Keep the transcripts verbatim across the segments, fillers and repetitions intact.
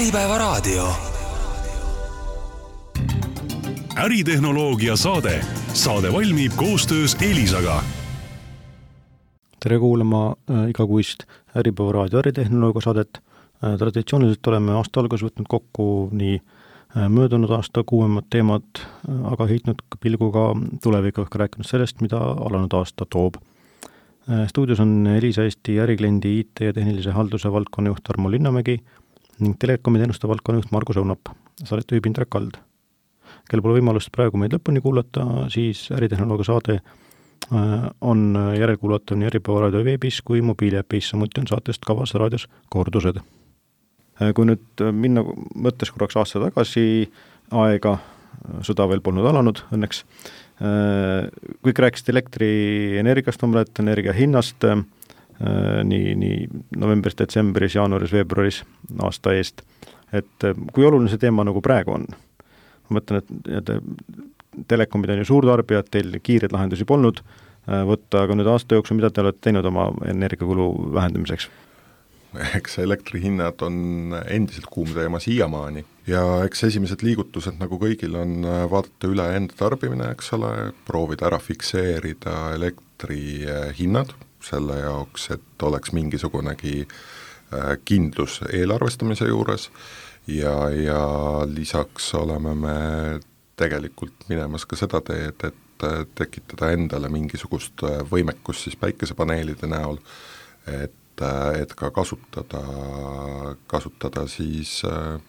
Äripäevaraadio. Äritehnoloogia saade. Saade valmib koostöös Elisaga. Tere kuulama igakuist Äripäevaraadio äritehnoloogia saadet. Traditsiooniliselt oleme aasta algus võtnud kokku nii möödunud aasta kuuemad teemad, aga heitnud pilguga tulevikku ehk rääkinud sellest, mida alanud aasta toob. Stuudios on Elisa Eesti ärikliendi I T ja tehnilise halduse valdkonnajuht Tarmo Linnamägi ning telekomi teenuste valdkonnajuht Margus Õunap. Saadet juhib Indrek Kald. Kel pole võimalust praegu meid lõpuni kuulata, siis äritehnoloogia saade on järelkuulatav nii Äripäevaraadio veebis kui mobiiliäpis, samuti on saatest kavas raadios kordused. Kui nüüd minna mõttes korraks aasta tagasi aega, sõda veel polnud alanud õnneks, kõik rääkisid elektrienergiast, omalt energia hinnast nii, nii novembris, detsembris, jaanuaris, veebruaris aasta eest. Et kui oluline see teema nagu praegu on? Ma mõtlen, et telekomid on ju suurtarbijad, teil kiired lahendusi polnud võtta, aga nüüd aasta jooksul, mida te olete teinud oma energiakulu vähendamiseks? Eks elektrihinnad on endiselt kuum teema siiamaani ja eks esimesed liigutused nagu kõigil on vaadata üle enda tarbimine, eks ole, proovida ära fikseerida elektrihinnad selle jaoks, et oleks mingisugunegi kindlus eelarvestamise juures ja, ja lisaks oleme me tegelikult minemas ka seda teed, et tekitada endale mingisugust võimekust siis päikesepaneelide näol, et et ka kasutada, kasutada siis äh,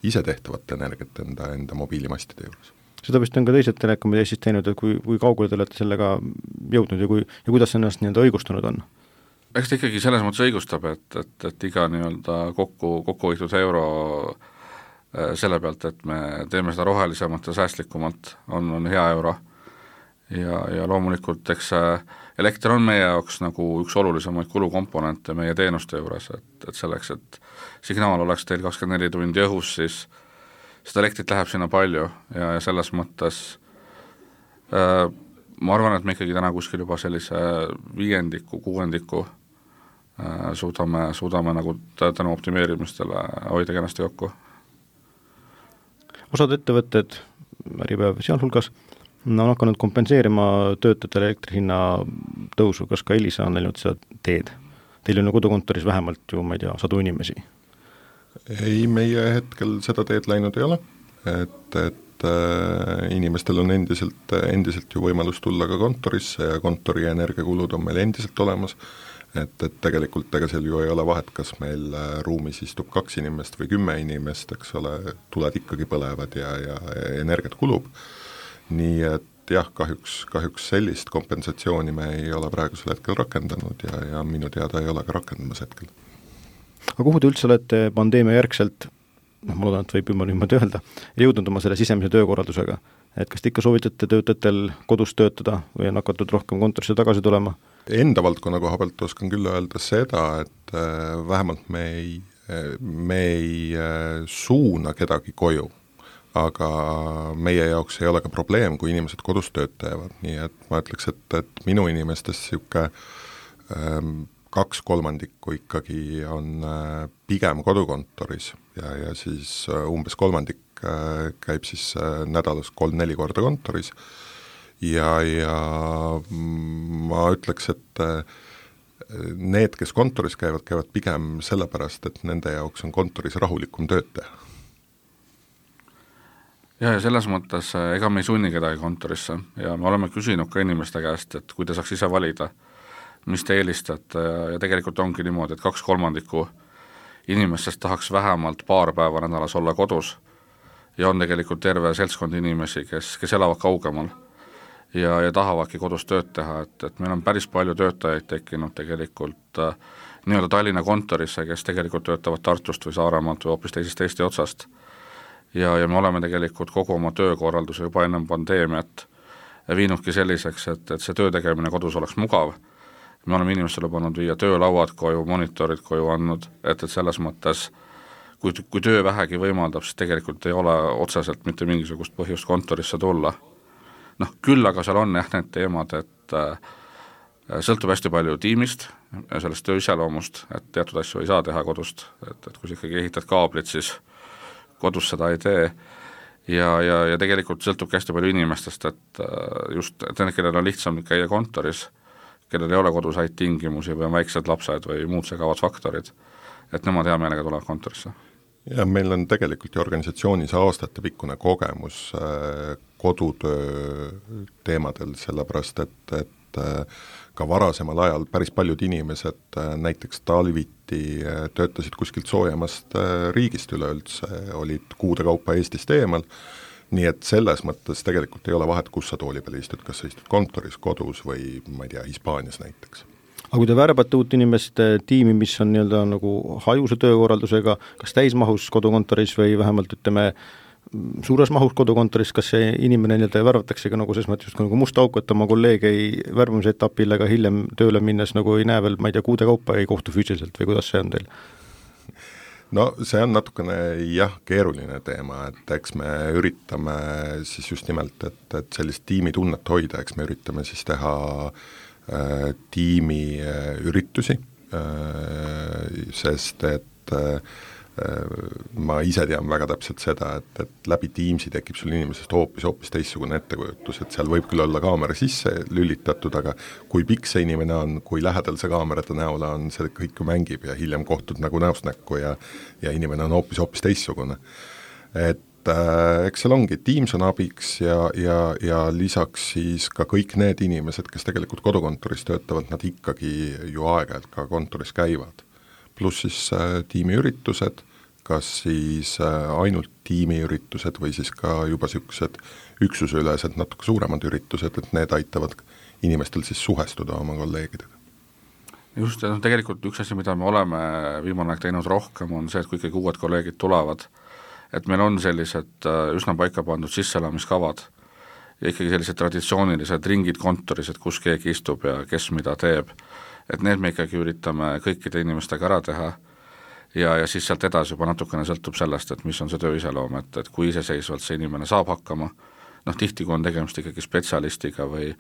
ise tehtavat energiat enda, enda mobiilimastide juures. Seda vist on ka teised telekomid Eestis teinud, et kui, kui kaugele te olete sellega jõudnud ja, kui, ja kuidas see ennast nii-öelda õigustunud on? Eks ta ikkagi selles mõttes õigustab, et, et, et iga nii-öelda kokku, kokku hoitud euro selle pealt, et me teeme seda rohelisemalt ja säästlikumalt, on, on hea euro. Ja, ja loomulikult eks elekter on meie jaoks nagu üks olulisemaid kulukomponente meie teenuste juures, et, et selleks, et signaal oleks teil kakskümmend neli tundi õhus, siis seda elektrit läheb sinna palju ja, ja selles mõttes äh, ma arvan, et me ikkagi täna kuskil juba sellise viiendiku, kuuendiku äh, suudame, suudame nagu tänu optimeerimistele hoida kenasti kokku. Osad ettevõtted, Äripäev sealhulgas, no on hakanud kompenseerima töötajate elektrihinna tõusu, kas ka Elisa on läinud seda teed? Teil on ju kodukontoris vähemalt ju, ma ei tea, sadu inimesi. Ei, meie hetkel seda teed läinud ei ole, et, et äh, inimestel on endiselt, endiselt ju võimalus tulla ka kontorisse ja kontori energiakulud on meil endiselt olemas, et, et tegelikult ega seal ju ei ole vahet, kas meil ruumis istub kaks inimest või kümme inimest, eks ole, tuled ikkagi põlevad ja, ja energiat kulub. Nii et jah, kahjuks, kahjuks sellist kompensatsiooni me ei ole praegusel hetkel rakendanud ja, ja minu teada ei ole ka rakendamas hetkel. Aga kuhu te üldse olete pandeemia järgselt, noh, ma loodan, et võib juba niimoodi öelda, jõudnud oma selle sisemise töökorraldusega? Et kas te ikka soovitate töötajatel kodus töötada või on hakatud rohkem kontorisse tagasi tulema? Enda valdkonna koha pealt oskan küll öelda seda, et äh, vähemalt me ei, me ei äh, suuna kedagi koju. Aga meie jaoks ei ole ka probleem, kui inimesed kodus tööd teevad, nii et ma ütleks, et, et minu inimestest siuke ähm, kaks kolmandikku ikkagi on äh, pigem kodukontoris ja, ja siis äh, umbes kolmandik äh, käib siis äh, nädalas kolm-neli korda kontoris ja, ja ma ütleks, et äh, need, kes kontoris käivad, käivad pigem sellepärast, et nende jaoks on kontoris rahulikum tööd teha. Ja, ja selles mõttes ega me ei sunni kedagi kontorisse ja me oleme küsinud ka inimeste käest, et kui te saaks ise valida, mis te eelistate ja tegelikult ongi niimoodi, et kaks kolmandikku inimestest tahaks vähemalt paar päeva nädalas olla kodus ja on tegelikult terve seltskond inimesi, kes, kes elavad kaugemal ja, ja tahavadki kodus tööd teha, et, et meil on päris palju töötajaid tekkinud tegelikult äh, nii-öelda Tallinna kontorisse, kes tegelikult töötavad Tartust või Saaremaalt või hoopis teisest Eesti otsast. Ja, ja me oleme tegelikult kogu oma töökorralduse juba ennem pandeemiat viinudki selliseks, et, et see töö tegemine kodus oleks mugav. Me oleme inimestele pannud viia töölauad koju, monitorid koju andnud, et, et selles mõttes, kui, kui töö vähegi võimaldab, siis tegelikult ei ole otseselt mitte mingisugust põhjust kontorisse tulla. Noh, küll aga seal on jah need teemad, et äh, sõltub hästi palju tiimist ja sellest töö iseloomust, et teatud asju ei saa teha kodust, et, et kui sa ikkagi ehitad kaablit, siis kodus seda ei tee ja, ja, ja tegelikult sõltubki hästi palju inimestest, et just et need, kellel on lihtsam käia kontoris, kellel ei ole kodus häid tingimusi või on väiksed lapsed või muud segavad faktorid, et nemad hea meelega tulevad kontorisse. Ja meil on tegelikult ju organisatsioonis aastatepikkune kogemus äh, kodutöö teemadel, sellepärast et, et äh, ka varasemal ajal päris paljud inimesed äh, näiteks talviti äh, töötasid kuskilt soojemast äh, riigist üleüldse, olid kuude kaupa Eestist eemal, nii et selles mõttes tegelikult ei ole vahet, kus sa tooli peal istud, kas sa istud kontoris, kodus või ma ei tea, Hispaanias näiteks. Aga kui te värbate uut inimest tiimi, mis on nii-öelda nagu hajuse töökorraldusega, kas täismahus kodukontoris või vähemalt ütleme suures mahus kodukontoris, kas see inimene nii-öelda värvatakse ka nagu selles mõttes nagu must auk, et oma kolleeg ei värvamise etapil ega hiljem tööle minnes nagu ei näe veel, ma ei tea, kuude kaupa ei kohtu füüsiliselt või kuidas see on teil? No see on natukene jah, keeruline teema, et eks me üritame siis just nimelt, et, et sellist tiimitunnet hoida, eks me üritame siis teha tiimi üritusi, sest et ma ise tean väga täpselt seda, et, et läbi Teamsi tekib sul inimesest hoopis, hoopis teistsugune ettekujutus, et seal võib küll olla kaamera sisse lülitatud, aga kui pikk see inimene on, kui lähedal see kaamerate näole on, see kõik ju mängib ja hiljem kohtud nagu näost näkku ja, ja inimene on hoopis, hoopis teistsugune. Et eks seal ongi, Teams on abiks ja, ja, ja lisaks siis ka kõik need inimesed, kes tegelikult kodukontoris töötavad, nad ikkagi ju aeg-ajalt ka kontoris käivad. Pluss siis äh, tiimiüritused, kas siis äh, ainult tiimiüritused või siis ka juba niisugused üksusülesed natuke suuremad üritused, et need aitavad inimestel siis suhestuda oma kolleegidega. Just, no tegelikult üks asi, mida me oleme viimane aeg teinud rohkem, on see, et kui ikkagi uued kolleegid tulevad, et meil on sellised üsna paika pandud sisselamiskavad ja ikkagi sellised traditsioonilised ringid kontoris, et kus keegi istub ja kes mida teeb, et need me ikkagi üritame kõikide inimestega ära teha ja, ja siis sealt edasi juba natukene sõltub sellest, et mis on see töö iseloom, et, et kui iseseisvalt see inimene saab hakkama, noh tihti kui on tegemist ikkagi spetsialistiga või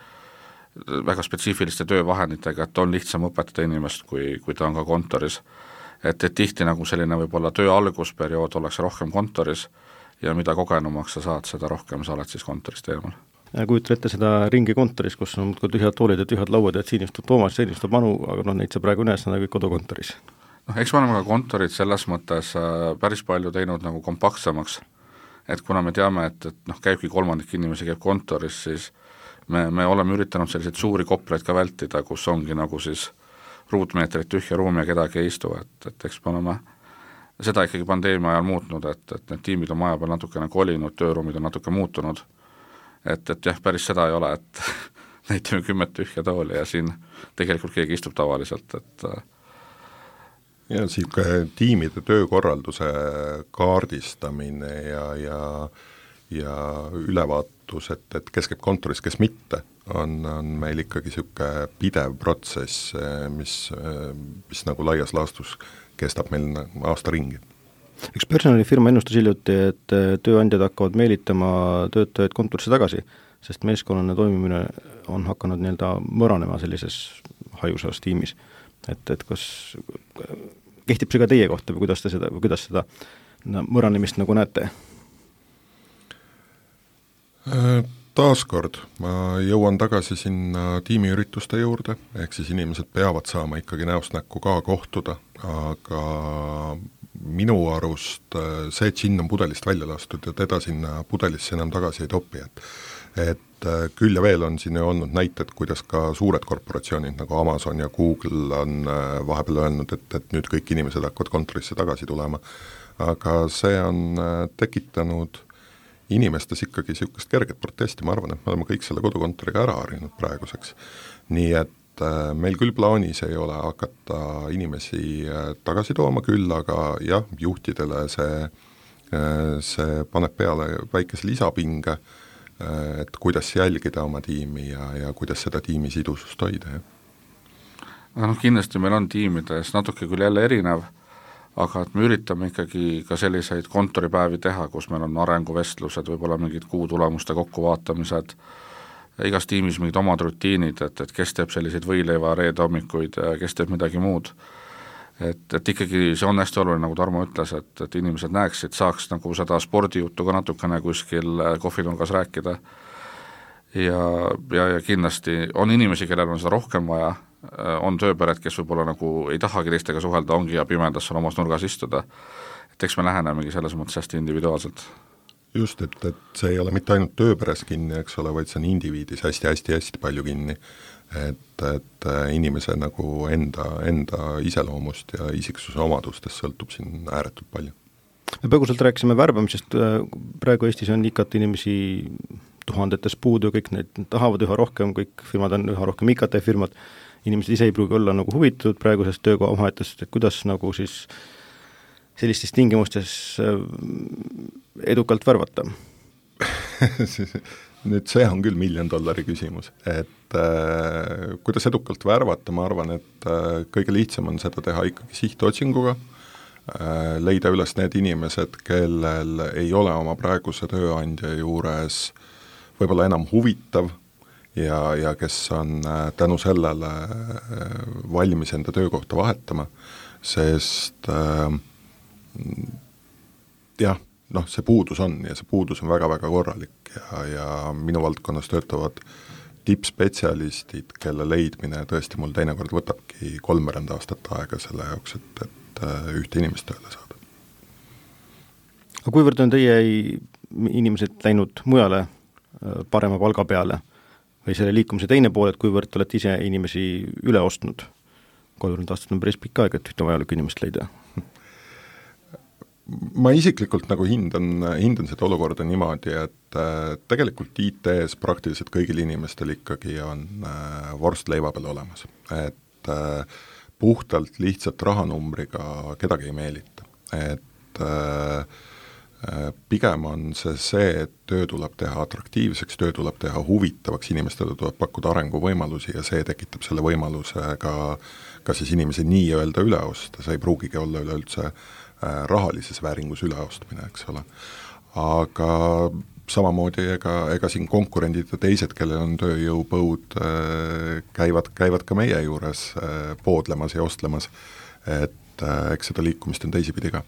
väga spetsiifiliste töövahenditega, et on lihtsam õpetada inimest, kui, kui ta on ka kontoris. Et, et tihti nagu selline võib-olla töö algusperiood oleks rohkem kontoris ja mida kogenumaks sa saad, seda rohkem sa oled siis kontorist eemal. Kujutan ette seda ringi kontoris, kus on tühjad toolid ja tühjad lauad, et siin istub Toomas, siin istub Manu, aga no neid sa praegu näes, nad kõik kodukontoris. noh, eks me oleme ka kontorid selles mõttes päris palju teinud nagu kompaktsemaks, et kuna me teame, et, et noh, käibki kolmandik inimesi käib kontoris, siis me, me oleme üritanud selliseid suuri kopleid ka vältida, kus ongi nagu siis ruutmeetrit tühja ruumi ja kedagi ei istu, et, et eks me oleme seda ikkagi pandeemia ajal muutnud, et, et need tiimid on maja peal natukene kolinud, tööruumid on natuke muutunud, et, et jah, päris seda ei ole, et näitame kümmet tühja tooli ja siin tegelikult keegi istub tavaliselt, et ja sihuke tiimide töökorralduse kaardistamine ja, ja, ja ülevaatus, et, et kes käib kontoris, kes mitte, on, on meil ikkagi sihuke pidev protsess, mis, mis nagu laias laastus kestab meil aasta ringi. Üks personalifirma ennustas hiljuti, et tööandjad hakkavad meelitama töötajaid kontorisse tagasi, sest meeskonnane toimimine on hakanud nii-öelda mõranema sellises hajusas tiimis. Et, et kas kehtib see ka teie kohta või kuidas te seda, või kuidas seda no, mõranemist nagu näete? Taaskord ma jõuan tagasi sinna tiimiürituste juurde, ehk siis inimesed peavad saama ikkagi näost näkku ka kohtuda, aga minu arust see džinn on pudelist välja lastud ja teda sinna pudelisse enam tagasi ei topi, et et küll ja veel on siin ju olnud näited, kuidas ka suured korporatsioonid nagu Amazon ja Google on vahepeal öelnud, et, et nüüd kõik inimesed hakkavad kontorisse tagasi tulema, aga see on tekitanud inimestes ikkagi niisugust kerget protesti, ma arvan, et me oleme kõik selle kodukontoriga ära harinud praeguseks. Nii et äh, meil küll plaanis ei ole hakata inimesi äh, tagasi tooma küll, aga jah, juhtidele see, äh, see paneb peale väikese lisapinge, äh, et kuidas jälgida oma tiimi ja, ja kuidas seda tiimi sidusust hoida. Aga noh, kindlasti meil on tiimides natuke küll jälle erinev, aga et me üritame ikkagi ka selliseid kontoripäevi teha, kus meil on arenguvestlused, võib-olla mingid kuutulemuste kokkuvaatamised, igas tiimis mingid omad rutiinid, et, et kes teeb selliseid võileiva reede hommikuid ja kes teeb midagi muud. et, et ikkagi see on hästi oluline, nagu Tarmo ütles, et, et inimesed näeksid, saaks nagu seda spordijuttu ka natukene kuskil kohvinurgas rääkida ja, ja, ja kindlasti on inimesi, kellel on seda rohkem vaja, on tööpered, kes võib-olla nagu ei tahagi teistega suhelda, ongi ja pimedas seal omas nurgas istuda, et eks me lähenemegi selles mõttes hästi individuaalselt. Just, et, et see ei ole mitte ainult tööperes kinni, eks ole, vaid see on indiviidis hästi-hästi-hästi palju kinni, et, et inimese nagu enda, enda iseloomust ja isiksuse omadustest sõltub siin ääretult palju. Me põgusalt rääkisime värbamisest, praegu Eestis on ikat inimesi tuhandetes puudu, kõik need tahavad üha rohkem, kõik firmad on üha rohkem I K T-firmad, inimesed ise ei pruugi olla nagu huvitatud praegusest töökoha vahetust, et kuidas nagu siis sellistes tingimustes edukalt värvata? Nüüd see on küll miljon dollari küsimus, et äh, kuidas edukalt värvata, ma arvan, et äh, kõige lihtsam on seda teha ikkagi sihtotsinguga, äh, leida üles need inimesed, kellel ei ole oma praeguse tööandja juures võib-olla enam huvitav ja, ja kes on äh, tänu sellele äh, valmis enda töökohta vahetama, sest äh, jah, noh, see puudus on ja see puudus on väga-väga korralik ja, ja minu valdkonnas töötavad tippspetsialistid, kelle leidmine tõesti mul teinekord võtabki kolmveerand aastat aega selle jaoks, et, et ühte inimest tööle saada. Aga kuivõrd on teie inimesed läinud mujale parema palga peale või selle liikumise teine pool, et kuivõrd olete ise inimesi üle ostnud? kolmveerand aastat on päris pikk aeg, et ühte vajalikku inimest leida. Ma isiklikult nagu hindan, hindan seda olukorda niimoodi, et äh, tegelikult I T-s praktiliselt kõigil inimestel ikkagi on äh, vorst leiva peal olemas. Et äh, puhtalt lihtsalt rahanumbriga kedagi ei meelita. Et äh, pigem on see see, et töö tuleb teha atraktiivseks, töö tuleb teha huvitavaks, inimestele tuleb pakkuda arenguvõimalusi ja see tekitab selle võimaluse ka, ka siis inimese nii-öelda üleosta, see ei pruugigi olla üleüldse rahalises vääringus üleostmine, eks ole. Aga samamoodi ega, ega siin konkurendid ja teised, kellel on tööjõupõud, käivad, käivad ka meie juures poodlemas ja ostlemas, et eks seda liikumist on teisipidi ka.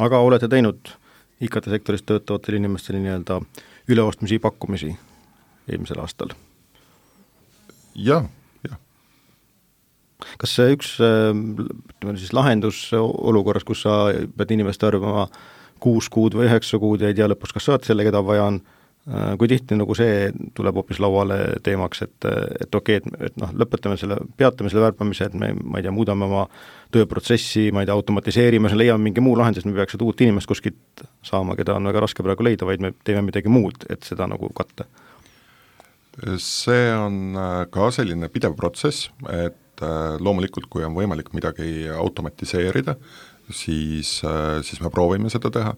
Aga olete teinud I K T-sektoris töötavatele inimestele nii-öelda üleostmisi pakkumisi eelmisel aastal? Jah, jah. Kas see üks siis lahendus olukorras, kus sa pead inimest arvama kuus kuud või üheksa kuud ja ei tea lõpuks, kas saad selle, keda vaja on, kui tihti nagu see tuleb hoopis lauale teemaks, et, et okei, et, et noh, lõpetame selle, peatame selle värbamise, et me, ma ei tea, muudame oma tööprotsessi, ma ei tea, automatiseerime, leiame mingi muu lahend, sest me peaks seda uut inimest kuskilt saama, keda on väga raske praegu leida, vaid me teeme midagi muud, et seda nagu katta. See on ka selline pidev protsess, et loomulikult, kui on võimalik midagi automatiseerida, siis, siis me proovime seda teha.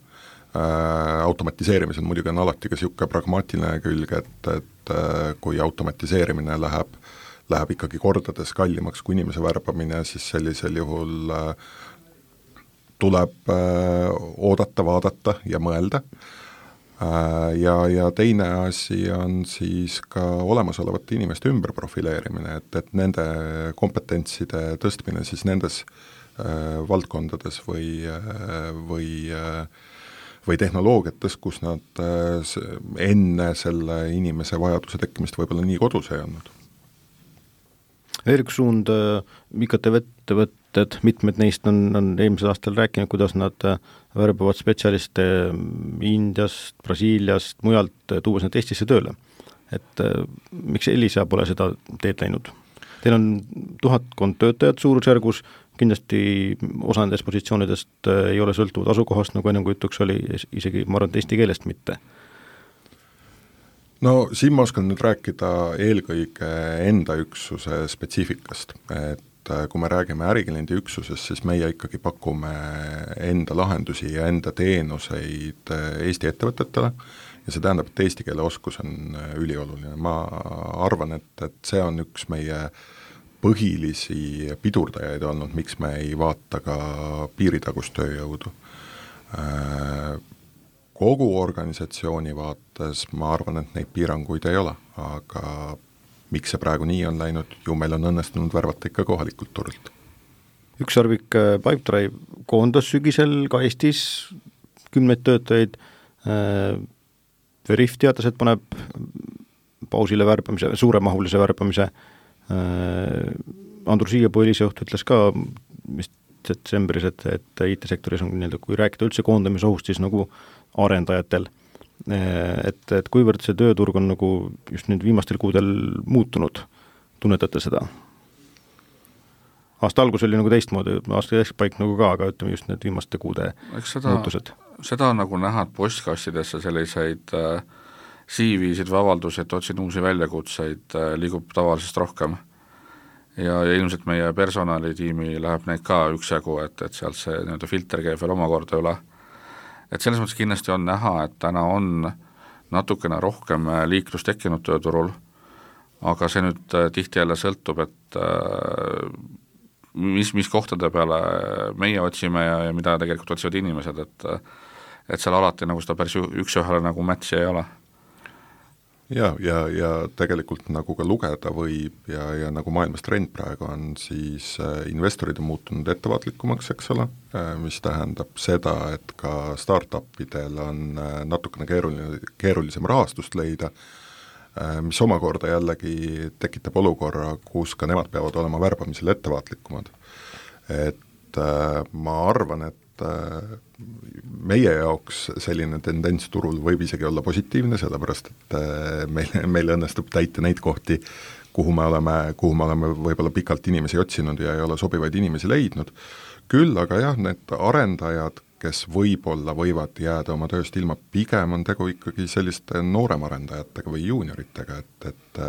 Äh, automatiseerimisel muidugi on alati ka niisugune pragmaatiline külg, et, et kui automatiseerimine läheb, läheb ikkagi kordades kallimaks kui inimese värbamine, siis sellisel juhul äh, tuleb äh, oodata, vaadata ja mõelda. Äh, ja, ja teine asi on siis ka olemasolevate inimeste ümberprofileerimine, et, et nende kompetentside tõstmine siis nendes äh, valdkondades või, äh, või äh, või tehnoloogiates, kus nad enne selle inimese vajaduse tekkimist võib-olla nii kodus ei olnud. Veel üks suund, I K T-ettevõtted, mitmed neist on, on eelmisel aastal rääkinud, kuidas nad värbavad spetsialiste Indiast, Brasiiliast, mujalt, tuues need Eestisse tööle. Et miks Elisa pole seda teed läinud? Teil on tuhatkond töötajat suurusjärgus, kindlasti osa nendest positsioonidest ei ole sõltuvad asukohast, nagu ennem kui jutuks oli, isegi ma arvan, et eesti keelest mitte. No siin ma oskan nüüd rääkida eelkõige enda üksuse spetsiifikast, et kui me räägime äriklienti üksusest, siis meie ikkagi pakume enda lahendusi ja enda teenuseid Eesti ettevõtetele ja see tähendab, et eesti keele oskus on ülioluline. Ma arvan, et, et see on üks meie põhilisi pidurdajaid olnud, miks me ei vaata ka piiritagust tööjõudu. Kogu organisatsiooni vaates ma arvan, et neid piiranguid ei ole, aga miks see praegu nii on läinud, ju meil on õnnestunud värvata ikka kohalikult turult. ükssarvik Pipedrive koondas sügisel ka Eestis kümneid töötajaid, Veriff teatas, et paneb pausile värbamise, suuremahulise värbamise, Andrus Siiepuu Eliseoht ütles ka vist detsembris, et, et I T-sektoris on nii-öelda, kui rääkida üldse koondamisohust, siis nagu arendajatel, et, et kuivõrd see tööturg on nagu just nüüd viimastel kuudel muutunud, tunnetate seda? Aasta algus oli nagu teistmoodi, aasta keskpaik nagu ka, aga ütleme just need viimaste kuude seda, muutused. Seda on nagu näha, et postkastidesse selliseid äh, C V-sid või avaldusi, et otsin uusi väljakutseid, äh, liigub tavalisest rohkem. Ja, ja ilmselt meie personalitiimi läheb neid ka üksjagu, et, et sealt see nii-öelda filter käib veel omakorda üle. Et selles mõttes kindlasti on näha, et täna on natukene rohkem liiklust tekkinud tööturul, aga see nüüd äh, tihti jälle sõltub, et äh, mis, mis kohtade peale meie otsime ja, ja mida tegelikult otsivad inimesed, et et seal alati nagu seda päris üks-ühele nagu matchi ei ole. Ja, ja, ja tegelikult nagu ka lugeda võib ja, ja nagu maailmas trend praegu on, siis investorid on muutunud ettevaatlikumaks, eks ole, mis tähendab seda, et ka startupidel on natukene keeruline, keerulisem rahastust leida, mis omakorda jällegi tekitab olukorra, kus ka nemad peavad olema värbamisel ettevaatlikumad. Et äh, ma arvan, et äh, meie jaoks selline tendents turul võib isegi olla positiivne, sellepärast et äh, meil, meil õnnestub täita neid kohti, kuhu me oleme, kuhu me oleme võib-olla pikalt inimesi otsinud ja ei ole sobivaid inimesi leidnud. Küll aga jah, need arendajad, kes võib-olla võivad jääda oma tööst ilma, pigem on tegu ikkagi selliste nooremarendajatega või juunioritega, et, et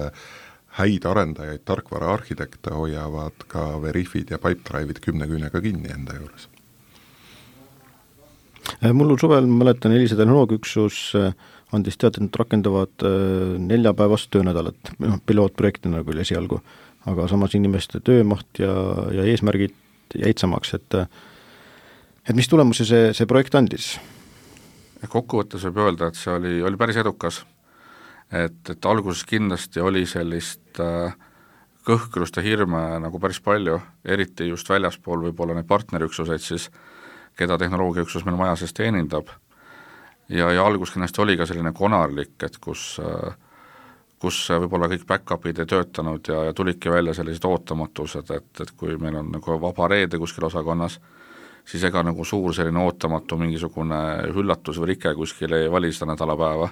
häid arendajaid, tarkvara arhitekte hoiavad ka Veriffid ja Pipedrive'id kümne küünega kinni enda juures. Mul suvel, mäletan, Elisa tehnoloogiaüksus andis teatud, et rakendavad neljapäevast töönädalat, pilootprojekti nagu oli esialgu, aga samas inimeste töömaht ja, ja eesmärgid jäid samaks, et et mis tulemusi see, see projekt andis? Kokkuvõttes võib öelda, et see oli, oli päris edukas. Et, et alguses kindlasti oli sellist äh, kõhklust ja hirme nagu päris palju, eriti just väljaspool võib-olla neid partnerüksuseid siis, keda tehnoloogiaüksus meil maja sees teenindab. Ja, ja algus kindlasti oli ka selline konarlik, et kus, äh, kus võib-olla kõik back-upid ei töötanud ja, ja tulidki välja sellised ootamatused, et, et kui meil on nagu vaba reede kuskil osakonnas, siis ega nagu suur selline ootamatu mingisugune hüllatus või rike kuskil ei vali seda nädalapäeva.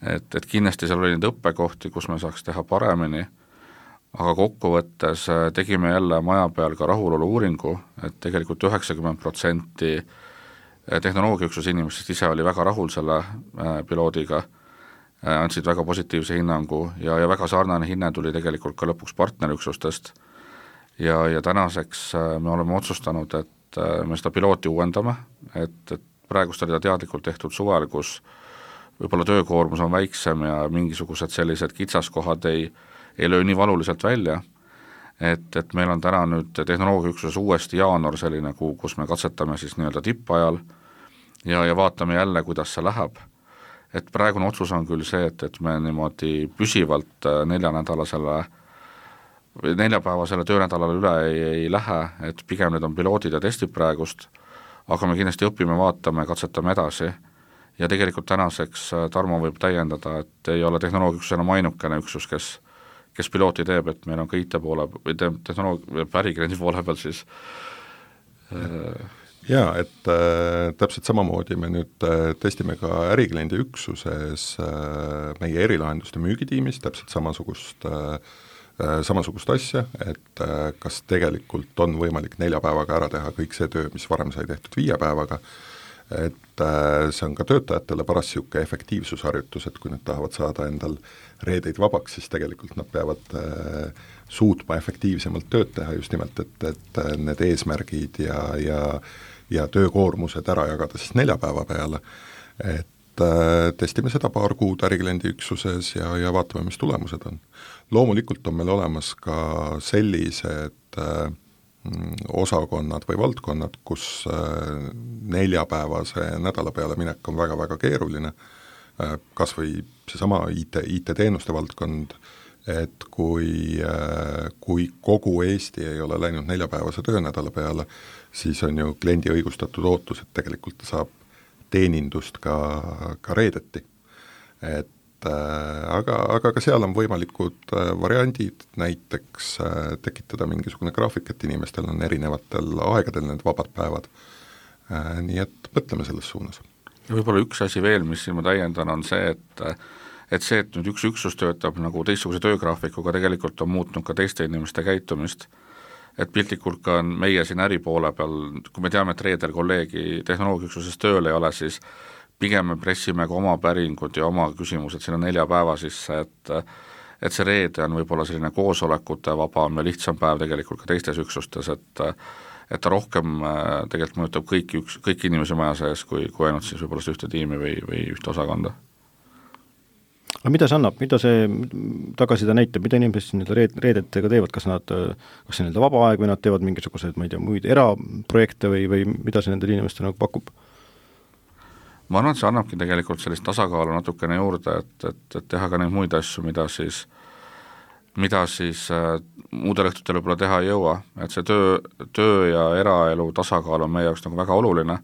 Et, et kindlasti seal oli neid õppekohti, kus me saaks teha paremini, aga kokkuvõttes tegime jälle maja peal ka rahulolu uuringu, et tegelikult üheksakümmend protsenti tehnoloogiaüksuse inimestest ise oli väga rahul selle piloodiga, andsid väga positiivse hinnangu ja, ja väga sarnane hinne tuli tegelikult ka lõpuks partnerüksustest ja, ja tänaseks me oleme otsustanud, et me seda pilooti uuendame, et, et praegust oli ta teadlikult tehtud suvel, kus võib-olla töökoormus on väiksem ja mingisugused sellised kitsaskohad ei, ei löö nii valuliselt välja, et, et meil on täna nüüd tehnoloogiaüksuses uuesti jaanuar selline kuu, kus me katsetame siis nii-öelda tippajal ja, ja vaatame jälle, kuidas see läheb. Et praegune otsus on küll see, et, et me niimoodi püsivalt neljanädalasele neljapäevasele töönädalale üle ei, ei lähe, et pigem need on piloodid ja testid praegust, aga me kindlasti õpime, vaatame, katsetame edasi ja tegelikult tänaseks Tarmo võib täiendada, et ei ole tehnoloogiaüksus enam ainukene üksus, kes, kes pilooti teeb, et meil on ka I T poole või tehnoloogia ärikliendi poole peal siis äh... Jaa, et äh, täpselt samamoodi me nüüd äh, testime ka ärikliendi üksuses äh, meie erilahenduste müügitiimis täpselt samasugust äh, samasugust asja, et kas tegelikult on võimalik nelja päevaga ära teha kõik see töö, mis varem sai tehtud viie päevaga, et see on ka töötajatele paras siuke efektiivsusharjutus, et kui nad tahavad saada endal reedeid vabaks, siis tegelikult nad peavad suutma efektiivsemalt tööd teha just nimelt, et, et need eesmärgid ja, ja, ja töökoormused ära jagada siis nelja päeva peale, et testime seda paar kuud ärikliendi üksuses ja, ja vaatame, mis tulemused on. Loomulikult on meil olemas ka sellised äh, osakonnad või valdkonnad, kus äh, neljapäevase nädala peale minek on väga-väga keeruline, äh, kas või seesama I T, I T-teenuste valdkond, et kui, kui kogu Eesti ei ole läinud neljapäevase töönädala peale, siis on ju kliendi õigustatud ootus, et tegelikult ta saab teenindust ka, ka reedeti. Et aga, aga ka seal on võimalikud variandid, näiteks tekitada mingisugune graafik, et inimestel on erinevatel aegadel need vabad päevad. Nii et mõtleme selles suunas. Ja võib-olla üks asi veel, mis siin ma täiendan, on see, et et see, et nüüd üks üksus töötab nagu teistsuguse töögraafikuga, tegelikult on muutnud ka teiste inimeste käitumist, et piltlikult ka meie siin äripoole peal, kui me teame, et reedel kolleegi tehnoloogiaüksuses tööl ei ole, siis pigem me pressime ka oma päringud ja oma küsimused sinna nelja päeva sisse, et et see reede on võib-olla selline koosolekute vabam ja lihtsam päev tegelikult ka teistes üksustes, et et ta rohkem tegelikult mõjutab kõiki, üks, kõiki inimesi maja sees, kui, kui ainult siis võib-olla ühte tiimi või, või ühte osakonda. Aga mida see annab, mida see tagasida näitab, mida inimesed nii reed, reedetega teevad, kas nad, kas see nende vaba aeg või nad teevad mingisugused, ma ei tea, muid eraprojekte või, või mida see nendele inimestele nagu pakub? Ma arvan, et see annabki tegelikult sellist tasakaalu natukene juurde, et, et, et teha ka neid muid asju, mida siis, mida siis äh, muudel õhtutel võib-olla teha ei jõua, et see töö, töö ja eraelu tasakaal on meie jaoks nagu väga oluline,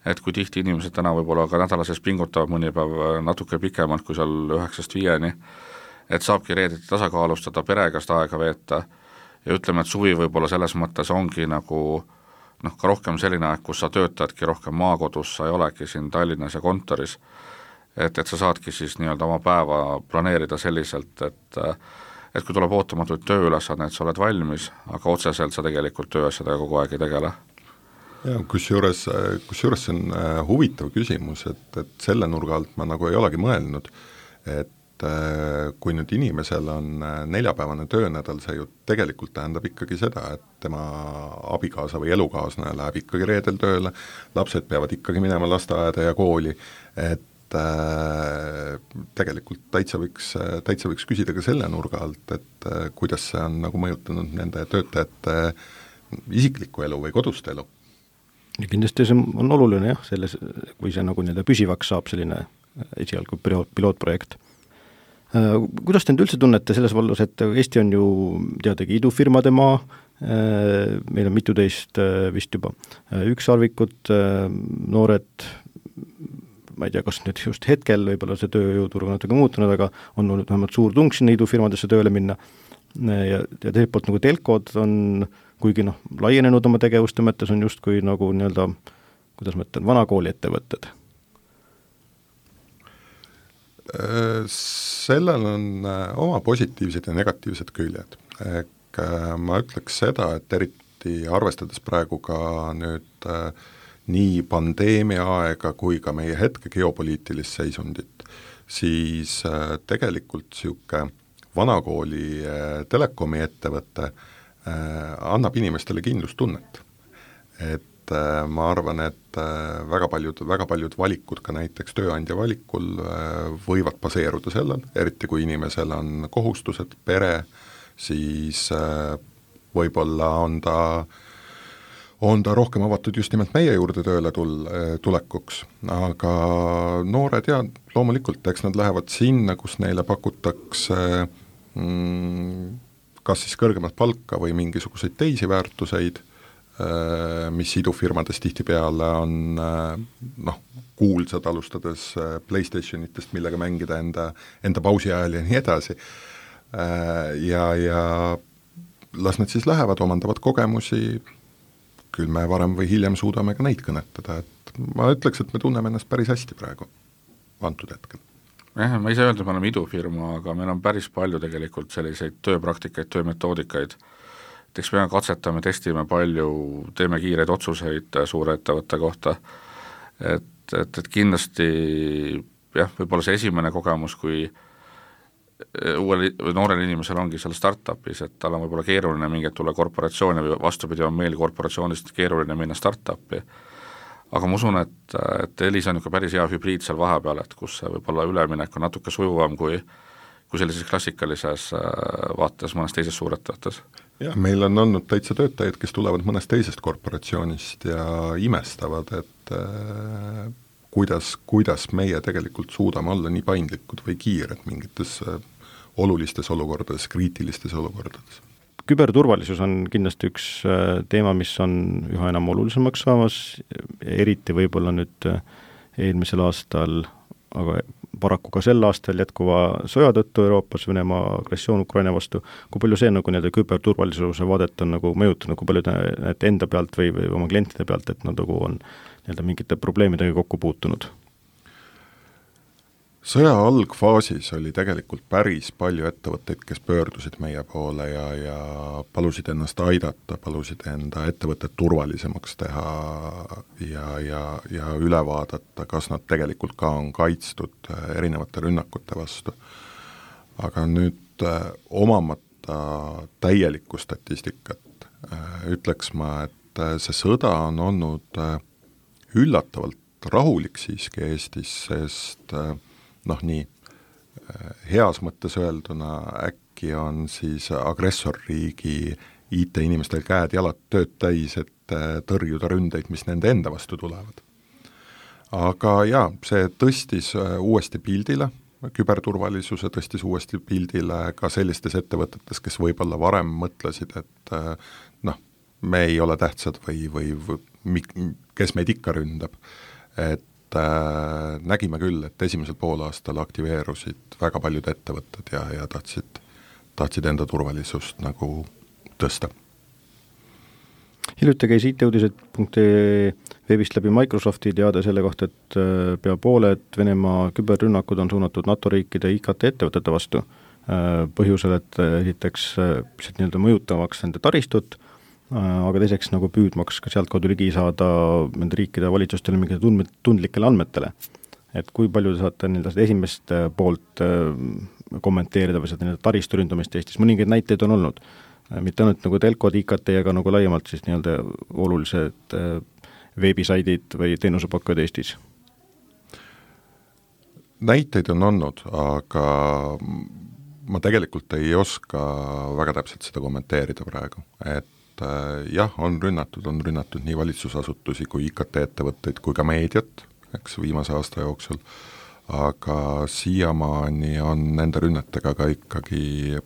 et kui tihti inimesed täna võib-olla ka nädala sees pingutavad mõni päev natuke pikemalt kui seal üheksast viieni, et saabki reedeti tasakaalustada, perega seda aega veeta ja ütleme, et suvi võib-olla selles mõttes ongi nagu noh, ka rohkem selline aeg, kus sa töötadki rohkem maakodus, sa ei olegi siin Tallinnas ja kontoris, et, et sa saadki siis nii-öelda oma päeva planeerida selliselt, et et kui tuleb ootamatuid tööülesanne, et sa oled valmis, aga otseselt sa tegelikult tööasjadega kogu aeg ei tegele. Ja kusjuures, kusjuures see on huvitav küsimus, et, et selle nurga alt ma nagu ei olegi mõelnud, et kui nüüd inimesel on neljapäevane töönädal, see ju tegelikult tähendab ikkagi seda, et tema abikaasa või elukaaslane läheb ikkagi reedel tööle, lapsed peavad ikkagi minema lasteaeda ja kooli, et tegelikult täitsa võiks, täitsa võiks küsida ka selle nurga alt, et kuidas see on nagu mõjutanud nende töötajate isiklikku elu või kodust elu. Ja kindlasti see on oluline jah, selles, kui see nagu nii-öelda püsivaks saab selline esialgu pilootprojekt. Kuidas te nüüd üldse tunnete selles vallas, et Eesti on ju teadagi idufirmade maa, meil on mitu teist vist juba ükssarvikut, noored, ma ei tea, kas nüüd just hetkel võib-olla see tööjõuturg on natuke muutunud, aga on olnud vähemalt suur tung sinna idufirmadesse tööle minna ja, ja teiselt poolt nagu telkod on, kuigi noh, laienenud oma tegevuste mõttes on justkui nagu nii-öelda, kuidas ma ütlen, vanakooli ettevõtted. Sellel on oma positiivsed ja negatiivsed küljed. Ehk ma ütleks seda, et eriti arvestades praegu ka nüüd nii pandeemia aega kui ka meie hetke geopoliitilist seisundit, siis tegelikult niisugune vanakooli telekomi ettevõte annab inimestele kindlustunnet. Et ma arvan, et väga paljud, väga paljud valikud ka näiteks tööandja valikul võivad baseeruda sellel, eriti kui inimesel on kohustused, pere, siis võib-olla on ta on ta rohkem avatud just nimelt meie juurde tööle tul-, tulekuks, aga noored ja loomulikult, eks nad lähevad sinna, kus neile pakutakse mm, kas siis kõrgemat palka või mingisuguseid teisi väärtuseid, mis idufirmades tihtipeale on noh, kuulsad alustades PlayStationitest, millega mängida enda, enda pausi ajal ja nii edasi. Ja, ja las nad siis lähevad, omandavad kogemusi, küll me varem või hiljem suudame ka neid kõnetada, et ma ütleks, et me tunneme ennast päris hästi praegu antud hetkel. Jah, ma ei saa öelda, et me oleme idufirma, aga meil on päris palju tegelikult selliseid tööpraktikaid, töömetoodikaid, et eks me katsetame, testime palju, teeme kiireid otsuseid suure ettevõtte kohta, et, et, et kindlasti jah, võib-olla see esimene kogemus, kui uuel või noorel inimesel ongi seal startupis, et tal on võib-olla keeruline mingi tulla korporatsiooni või vastupidi on meil korporatsioonist keeruline minna startupi. Aga ma usun, et, et Elis on ikka päris hea hübriid seal vahepeal, et kus see võib-olla üleminek on natuke sujuvam kui, kui sellises klassikalises vaates mõnes teises suurettevõttes. Jah, meil on olnud täitsa töötajaid, kes tulevad mõnest teisest korporatsioonist ja imestavad, et äh, kuidas, kuidas meie tegelikult suudame olla nii paindlikud või kiired mingites olulistes olukordades, kriitilistes olukordades. Küberturvalisus on kindlasti üks teema, mis on üha enam olulisemaks saamas, eriti võib-olla nüüd eelmisel aastal, aga paraku ka sel aastal jätkuva sõja tõttu Euroopas, Venemaa agressioon Ukraina vastu. Kui palju see nagu nii-öelda küberturvalisuse vaadet on nagu mõjutanud, kui palju need enda pealt või, või oma klientide pealt, et nad nagu on nii-öelda mingite probleemidega kokku puutunud? Sõja algfaasis oli tegelikult päris palju ettevõtteid, kes pöördusid meie poole ja, ja palusid ennast aidata, palusid enda ettevõtted turvalisemaks teha ja, ja, ja üle vaadata, kas nad tegelikult ka on kaitstud erinevate rünnakute vastu. Aga nüüd omamata täielikku statistikat ütleks ma, et see sõda on olnud üllatavalt rahulik siiski Eestis, sest noh nii, heas mõttes öelduna äkki on siis agressorriigi I T-inimestel käed jalad tööd täis, et tõrjuda ründeid, mis nende enda vastu tulevad. Aga jaa, see tõstis uuesti pildile, küberturvalisuse tõstis uuesti pildile ka sellistes ettevõtetes, kes võib-olla varem mõtlesid, et noh, me ei ole tähtsad või, või, või kes meid ikka ründab, et Äh, nägime küll, et esimesel poolaastal aktiveerusid väga paljud ettevõtted ja, ja tahtsid, tahtsid enda turvalisust nagu tõsta. Hiljuti käis I T-uudised punkt ee veebist läbi Microsofti teada selle kohta, et pea pooled Venemaa küberrünnakud on suunatud NATO riikide I K T-ettevõtete vastu põhjusel, et esiteks nii-öelda mõjutavaks nende taristut, aga teiseks nagu püüdmaks ka sealt kaudu ligi saada nende riikide valitsustele mingite tundlikele andmetele. Et kui palju te saate nii-öelda esimest poolt kommenteerida või seda taristu ründamist Eestis? Mõningaid näiteid on olnud. Mitte ainult nagu telkod, I K T, aga nagu laiemalt siis nii-öelda olulised veebisaidid või teenusepakkujad Eestis? Näiteid on olnud, aga ma tegelikult ei oska väga täpselt seda kommenteerida praegu, et jah, on rünnatud, on rünnatud nii valitsusasutusi kui I K T-ettevõtteid kui ka meediat, eks viimase aasta jooksul, aga siiamaani on nende rünnetega ka ikkagi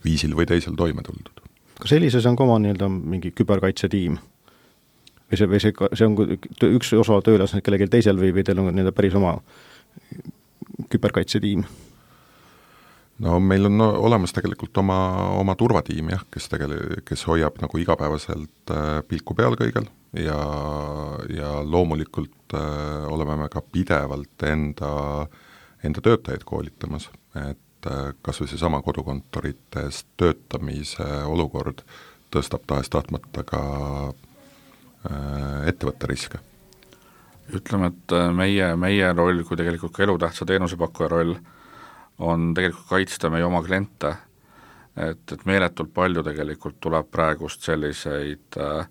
viisil või teisel toime tuldud. Kas sellises on ka oma nii-öelda mingi küberkaitsetiim? Või see, või see, see on üks osa töölas kellelgi teisel või, või teil on nii-öelda päris oma küberkaitsetiim? No meil on no, olemas tegelikult oma, oma turvatiim, jah, kes, tegele, kes hoiab nagu igapäevaselt äh, pilku peal kõigel ja, ja loomulikult äh, oleme me ka pidevalt enda, enda töötajaid koolitamas, et äh, kas või see sama kodukontorites töötamise olukord tõstab tahes tahtmata ka äh, ettevõtte riske. Ütleme, et meie, meie roll kui tegelikult ka elutähtsa teenusepakkuja roll on tegelikult kaitsta meie oma kliente, et, et meeletult palju tegelikult tuleb praegust selliseid äh,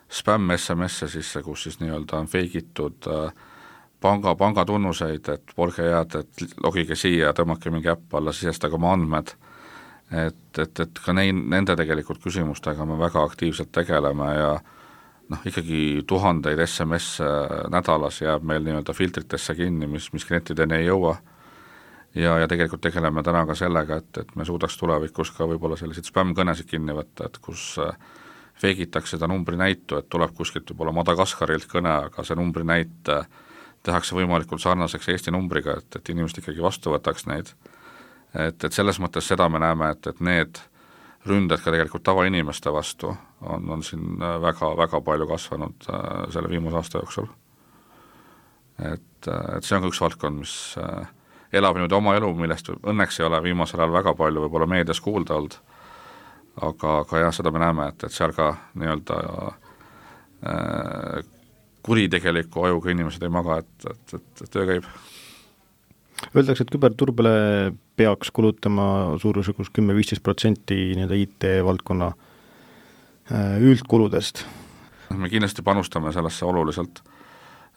spämm-S M S-e sisse, kus siis nii-öelda on feigitud äh, panga, pangatunnuseid, et olge head, et logige siia ja tõmmake mingi äpp alla, sisestage oma andmed, et, et, et ka neid, nende tegelikult küsimustega me väga aktiivselt tegeleme ja noh, ikkagi tuhandeid S M S nädalas jääb meil nii-öelda filtritesse kinni, mis, mis klientideni ei jõua. Ja, ja tegelikult tegeleme täna ka sellega, et, et me suudaks tulevikus ka võib-olla selliseid spämm-kõnesid kinni võtta, et kus feigitakse seda numbri näitu, et tuleb kuskilt võib-olla Madagaskarilt kõne, aga see numbri näit tehakse võimalikult sarnaseks Eesti numbriga, et, et inimesed ikkagi vastu võtaks neid. Et, et selles mõttes seda me näeme, et, et need ründed ka tegelikult tavainimeste vastu on, on siin väga, väga palju kasvanud selle viimase aasta jooksul. Et, et see on ka üks valdkond, mis elab nüüd oma elu, millest õnneks ei ole viimasel ajal väga palju võib-olla meedias kuulda olnud, aga, aga jah, seda me näeme, et, et seal ka nii-öelda äh, kuritegeliku ajuga inimesed ei maga, et, et, et, et töö käib. Öeldakse, et küberturbele peaks kulutama suurusjärgus kümme kuni viisteist protsenti nii-öelda I T-valdkonna üldkuludest. Me kindlasti panustame sellesse oluliselt.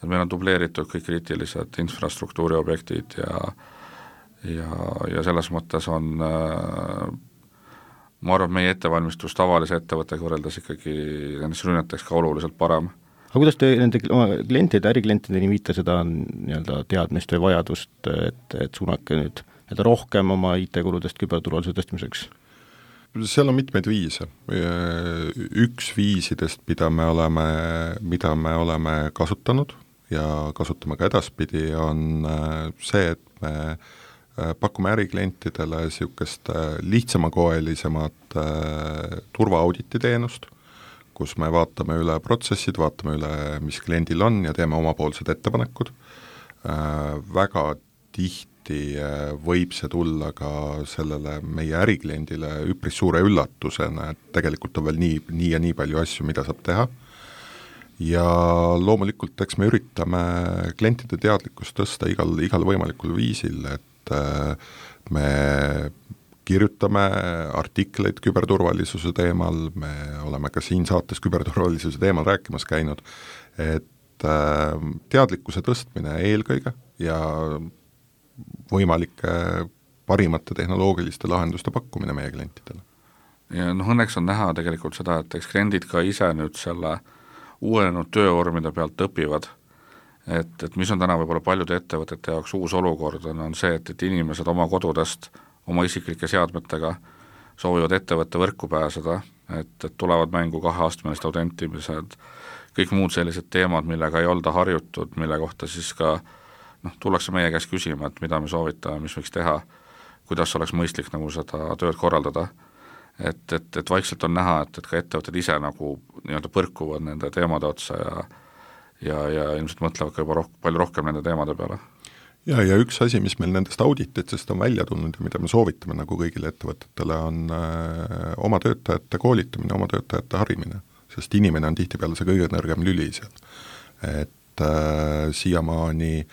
Meil on dubleeritud kõik kriitilised infrastruktuuri objektid ja, ja, ja selles mõttes on, ma arvan, meie ettevalmistus tavalise ettevõttega võrreldes ikkagi nendest rünneteks ka oluliselt parem. Aga kuidas te nende oma klientide, äriklientideni viite seda nii-öelda teadmist või vajadust, et, et suunake nüüd et rohkem oma I T-kuludest küberturvalisuse tõstmiseks? Seal on mitmeid viise. Üks viisidest, mida me oleme, mida me oleme kasutanud ja kasutame ka edaspidi, on see, et me pakume äriklientidele niisugust lihtsamakoelisemat turvaauditi teenust, kus me vaatame üle protsessid, vaatame üle, mis kliendil on ja teeme omapoolsed ettepanekud. Väga tihti võib see tulla ka sellele meie ärikliendile üpris suure üllatusena, et tegelikult on veel nii, nii ja nii palju asju, mida saab teha. Ja loomulikult, eks me üritame klientide teadlikkust tõsta igal, igal võimalikul viisil, et me kirjutame artikleid küberturvalisuse teemal, me oleme ka siin saates küberturvalisuse teemal rääkimas käinud, et teadlikkuse tõstmine eelkõige ja võimalike parimate tehnoloogiliste lahenduste pakkumine meie klientidele. Ja noh, õnneks on näha tegelikult seda, et eks kliendid ka ise nüüd selle uuenenud töövormide pealt õpivad, et, et mis on täna võib-olla paljude ettevõtete jaoks uus olukord, on, on see, et, et inimesed oma kodudest, oma isiklike seadmetega soovivad ettevõtte võrku pääseda, et, et tulevad mängu kaheastmelised autentimised, kõik muud sellised teemad, millega ei olda harjutud, mille kohta siis ka noh, tullakse meie käest küsima, et mida me soovitame, mis võiks teha, kuidas oleks mõistlik nagu seda tööd korraldada. Et, et, et vaikselt on näha, et, et ka ettevõtted ise nagu nii-öelda põrkuvad nende teemade otsa ja, ja, ja ilmselt mõtlevad ka juba roh- palju rohkem nende teemade peale. Ja, ja üks asi, mis meil nendest audititest on välja tulnud ja mida me soovitame nagu kõigile ettevõtetele, on äh, oma töötajate koolitamine, oma töötajate harimine, sest inimene on tihtipeale see kõige nõrgem lüli seal. Et äh, siiamaani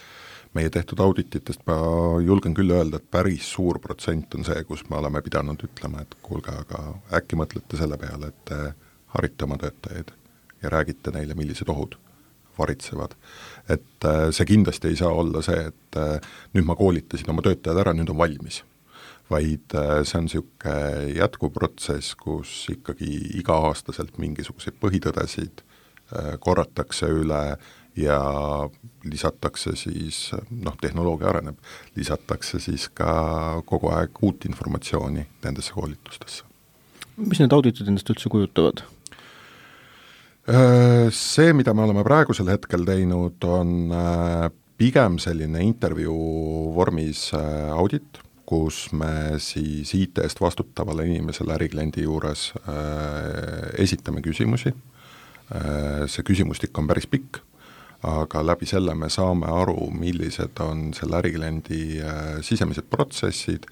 meie tehtud audititest ma julgen küll öelda, et päris suur protsent on see, kus me oleme pidanud ütlema, et kuulge, aga äkki mõtlete selle peale, et harite oma töötajaid ja räägite neile, millised ohud varitsevad. Et see kindlasti ei saa olla see, et nüüd ma koolitasin oma töötajad ära, nüüd on valmis. Vaid see on niisugune jätkuv protsess, kus ikkagi iga-aastaselt mingisuguseid põhitõdesid korratakse üle ja lisatakse siis, noh, tehnoloogia areneb, lisatakse siis ka kogu aeg uut informatsiooni nendesse koolitustesse. Mis need auditid endast üldse kujutavad? See, mida me oleme praegusel hetkel teinud, on pigem selline intervjuu vormis audit, kus me siis I T-st vastutavale inimesele ärikliendi juures esitame küsimusi. See küsimustik on päris pikk, aga läbi selle me saame aru, millised on selle ärikliendi sisemised protsessid,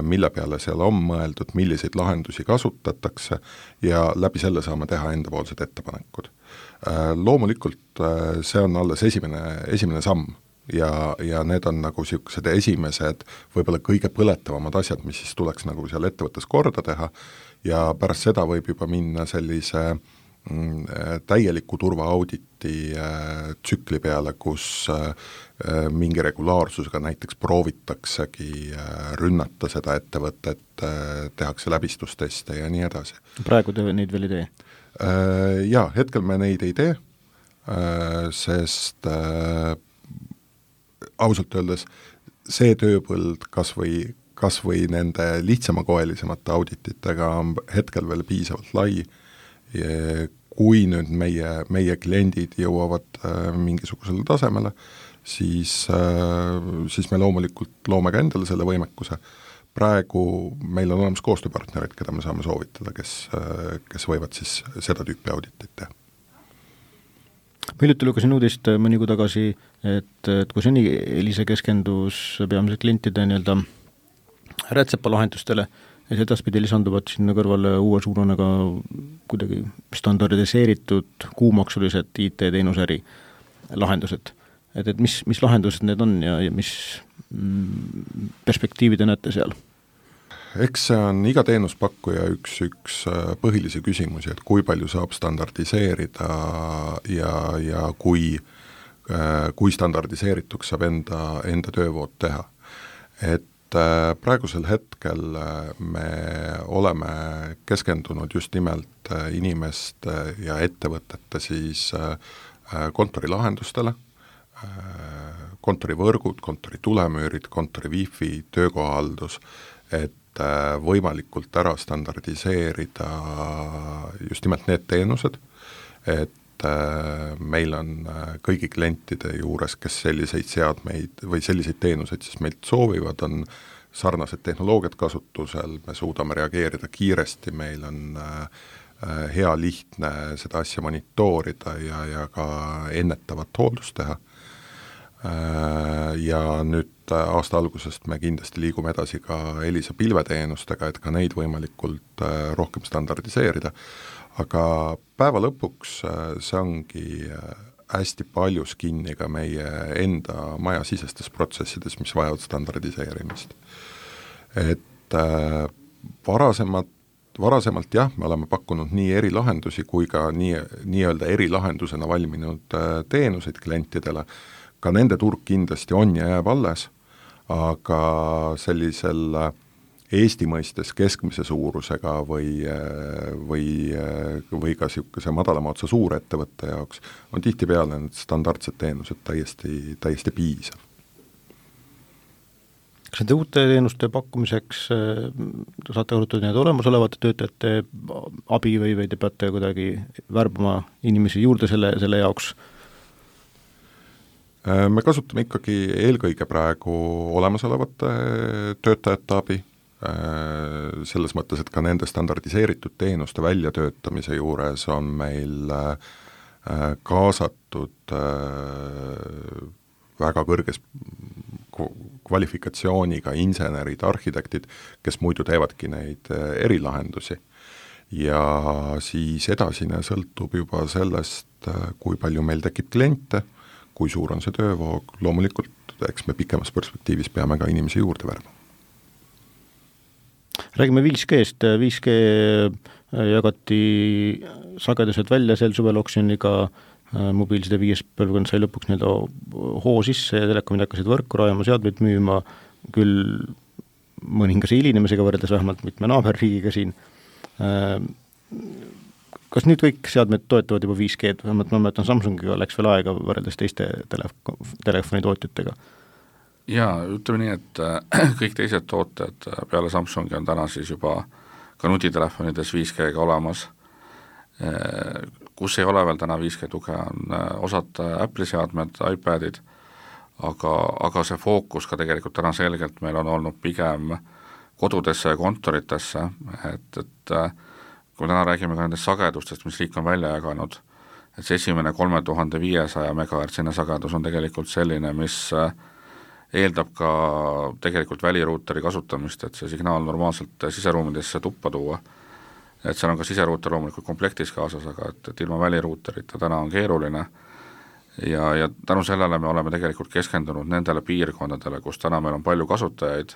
mille peale seal on mõeldud, milliseid lahendusi kasutatakse ja läbi selle saame teha endapoolsed ettepanekud. Loomulikult see on alles esimene, esimene samm ja, ja need on nagu niisugused esimesed, võib-olla kõige põletavamad asjad, mis siis tuleks nagu seal ettevõttes korda teha ja pärast seda võib juba minna sellise täieliku turvaauditi tsükli peale, kus mingi regulaarsusega näiteks proovitaksegi rünnata seda ettevõtet, tehakse läbistusteste ja nii edasi. Praegu te neid veel ei tee? Jaa, hetkel me neid ei tee, sest ausalt öeldes see tööpõld kas või, kas või nende lihtsamakoelisemate audititega on hetkel veel piisavalt lai. Kui nüüd meie, meie kliendid jõuavad äh, mingisugusele tasemele, siis, äh, siis me loomulikult loome ka endale selle võimekuse. Praegu meil on olemas koostööpartnerid, keda me saame soovitada, kes, äh, kes võivad siis seda tüüpi auditit teha. Hiljuti lugesin uudist mõni kuu tagasi, et, et kui seni Elisa keskendus peamiselt klientide nii-öelda rätsepalahendustele, ja edaspidi lisanduvad sinna kõrvale uue suurune ka kuidagi standardiseeritud kuumaksulised I T-teenusäri lahendused. Et, et mis, mis lahendused need on ja, ja mis mm, perspektiivid te näete seal? Eks see on iga teenuspakkuja üks, üks põhilisi küsimusi, et kui palju saab standardiseerida ja, ja kui, kui standardiseerituks saab enda, enda töövood teha. Et praegusel hetkel me oleme keskendunud just nimelt inimeste ja ettevõtete siis kontorilahendustele, kontorivõrgud, kontori tulemüürid, kontori wifi, töökohahaldus, et võimalikult ära standardiseerida just nimelt need teenused, et meil on kõigi klientide juures, kes selliseid seadmeid või selliseid teenuseid siis meilt soovivad, on sarnased tehnoloogiad kasutusel, me suudame reageerida kiiresti, meil on hea lihtne seda asja monitoorida ja, ja ka ennetavat hooldust teha. Ja nüüd aasta algusest me kindlasti liigume edasi ka Elisa pilveteenustega, et ka neid võimalikult rohkem standardiseerida, aga päeva lõpuks see ongi hästi paljus kinni ka meie enda majasisestes protsessides, mis vajavad standardiseerimist. Et varasemalt, varasemalt jah, me oleme pakkunud nii erilahendusi kui ka nii, nii-öelda erilahendusena valminud teenuseid klientidele, ka nende turg kindlasti on ja jääb alles, aga sellisel Eesti mõistes keskmise suurusega või, või, või ka niisuguse madalama otsa suurettevõtte jaoks on tihtipeale need standardsed teenused täiesti, täiesti piisav. Kas nende uute teenuste pakkumiseks saate kasutada need olemasolevate töötajate abi või, või te peate kuidagi värbama inimesi juurde selle, selle jaoks? Me kasutame ikkagi eelkõige praegu olemasolevate töötajate abi, selles mõttes, et ka nende standardiseeritud teenuste väljatöötamise juures on meil kaasatud väga kõrges kvalifikatsiooniga insenerid, arhitektid, kes muidu teevadki neid erilahendusi. Ja siis edasine sõltub juba sellest, kui palju meil tekib kliente, kui suur on see töövoog, loomulikult eks me pikemas perspektiivis peame ka inimesi juurde värma. Räägime viis G-st, viis G jagati sagedused välja sel suvel oksjoniga, mobiilside viies põlvkond sai lõpuks nii-öelda hoo sisse ja telekomid hakkasid võrku rajama, seadmeid müüma, küll mõningase hilinemisega võrreldes vähemalt mitme naaberriigiga siin. Kas nüüd kõik seadmed toetavad juba viis G-d, vähemalt ma mäletan Samsungiga läks veel aega võrreldes teiste telef- telefonitootjatega? Jaa, ütleme nii, et kõik teised tooted peale Samsungi on täna siis juba ka nutitelefonides viis G-ga olemas. Kus ei ole veel täna viis G tuge, on osad Apple'i seadmed, iPadid, aga, aga see fookus ka tegelikult täna selgelt meil on olnud pigem kodudesse ja kontoritesse, et, et kui täna räägime ka nendest sagedustest, mis riik on välja jaganud, et see esimene kolme tuhande viiesaja megahertsine sagedus on tegelikult selline, mis eeldab ka tegelikult väliruuteri kasutamist, et see signaal normaalselt siseruumidesse tuppa tuua. Et seal on ka siseruuter loomulikult komplektis kaasas, aga et, et ilma väliruuterita täna on keeruline ja, ja tänu sellele me oleme tegelikult keskendunud nendele piirkondadele, kus täna meil on palju kasutajaid,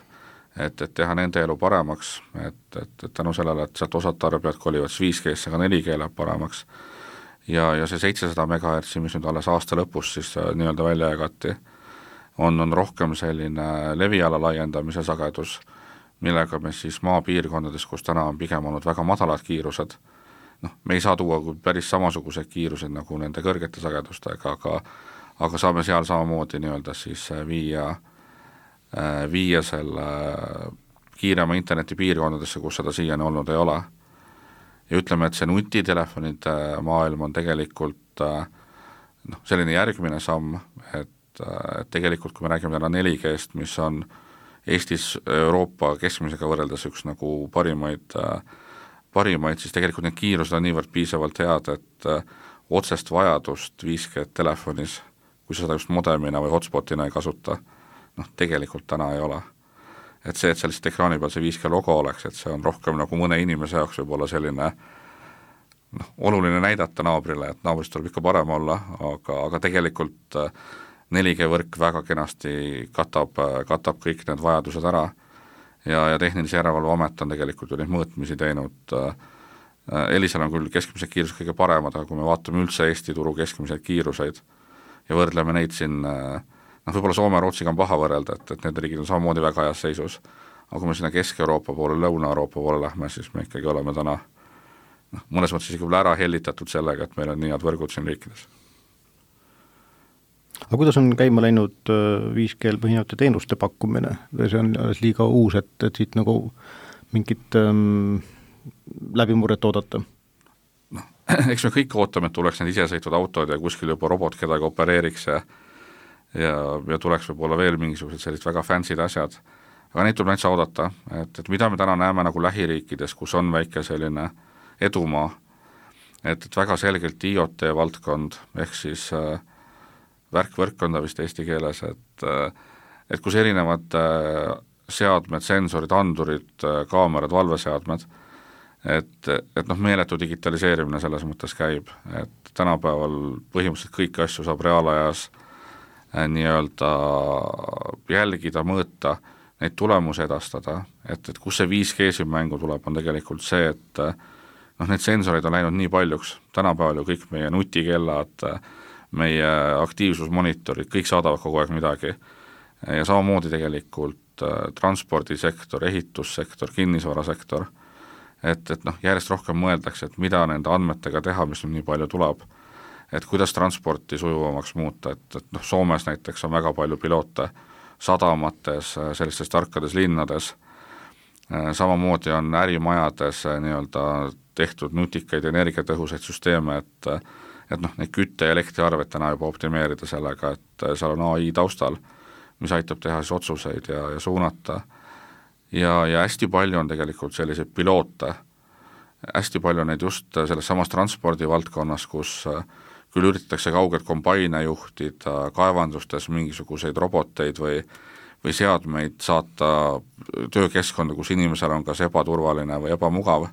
et, et teha nende elu paremaks, et, et, et tänu sellele, et sealt osad tarbijad kolivad viis G-sse, aga neli G läheb paremaks. Ja, ja see seitsesada megahertsi, mis nüüd alles aasta lõpus siis nii-öelda välja jagati, on, on rohkem selline leviala laiendamise sagedus, millega me siis maapiirkondades, kus täna on pigem olnud väga madalad kiirused, noh, me ei saa tuua päris samasugused kiirused nagu nende kõrgete sagedustega, aga, aga saame seal samamoodi nii-öelda siis viia viia selle kiirema interneti piirkondadesse, kus seda siiani olnud ei ole. Ja ütleme, et see nutitelefonide maailm on tegelikult noh, selline järgmine samm, et, et tegelikult kui me räägime täna neli G-st, mis on Eestis Euroopa keskmisega võrreldes üks nagu parimaid, parimaid, siis tegelikult need kiirused on niivõrd piisavalt head, et otsest vajadust viis G telefonis, kui seda just modemina või hotspotina ei kasuta, noh, tegelikult täna ei ole. Et see, et seal lihtsalt ekraani peal see viis G logo oleks, et see on rohkem nagu mõne inimese jaoks võib olla selline noh, oluline näidata naabrile, et naabrist tuleb ikka parem olla, aga, aga tegelikult neli G võrk väga kenasti katab, katab kõik need vajadused ära ja, ja Tehnilise Järelevalve Amet on tegelikult ju neid mõõtmisi teinud. Elisal on küll keskmised kiirused kõige paremad, aga kui me vaatame üldse Eesti turu keskmiseid kiiruseid ja võrdleme neid siin, noh võib-olla Soome ja Rootsiga on paha võrrelda, et, et need riigid on samamoodi väga heas seisus, aga kui me sinna Kesk-Euroopa poole, Lõuna-Euroopa poole lähme, siis me ikkagi oleme täna noh, mõnes mõttes isegi ära hellitatud sellega, et meil on nii head võrgud siin riikides. aga kuidas on käima läinud viis G põhinevate teenuste pakkumine? See on alles liiga uus, et, et siit nagu mingit ähm, läbimurret oodata? No, eks me kõik ootame, et tuleks need isesõitvad autod ja kuskil juba robot kedagi opereeriks ja ja, ja tuleks võib-olla veel mingisugused sellised väga fancy'd asjad, aga neid tuleb näiteks oodata, et, et mida me täna näeme nagu lähiriikides, kus on väike selline edumaa, et, et väga selgelt I O T valdkond, ehk siis äh, värk-võrkkonda vist eesti keeles, et äh, et kus erinevad äh, seadmed, sensorid, andurid, äh, kaamerad, valveseadmed, et, et noh, meeletu digitaliseerimine selles mõttes käib, et tänapäeval põhimõtteliselt kõiki asju saab reaalajas äh, nii-öelda jälgida, mõõta, neid tulemusi edastada, et, et kus see viis G siin mängu tuleb, on tegelikult see, et noh, need sensorid on läinud nii paljuks, tänapäeval ju kõik meie nutikellad, meie aktiivsusmonitorid, kõik saadavad kogu aeg midagi ja samamoodi tegelikult äh, transpordisektor, ehitussektor, kinnisvarasektor, et, et noh, järjest rohkem mõeldakse, et mida nende andmetega teha, mis nüüd nii palju tuleb, et kuidas transporti sujuvamaks muuta, et, et noh, Soomes näiteks on väga palju piloote sadamates, sellistes tarkades linnades, samamoodi on ärimajades nii-öelda tehtud nutikaid energiatõhusaid süsteeme, et et noh, neid kütte- ja elektriarved täna juba optimeerida sellega, et seal on A I taustal, mis aitab teha siis otsuseid ja, ja suunata. Ja, ja hästi palju on tegelikult selliseid piloote, hästi palju neid just selles samas transpordivaldkonnas, kus küll üritatakse kaugelt kombaine juhtida, kaevandustes mingisuguseid roboteid või, või seadmeid saata töökeskkonda, kus inimesel on kas ebaturvaline või ebamugav.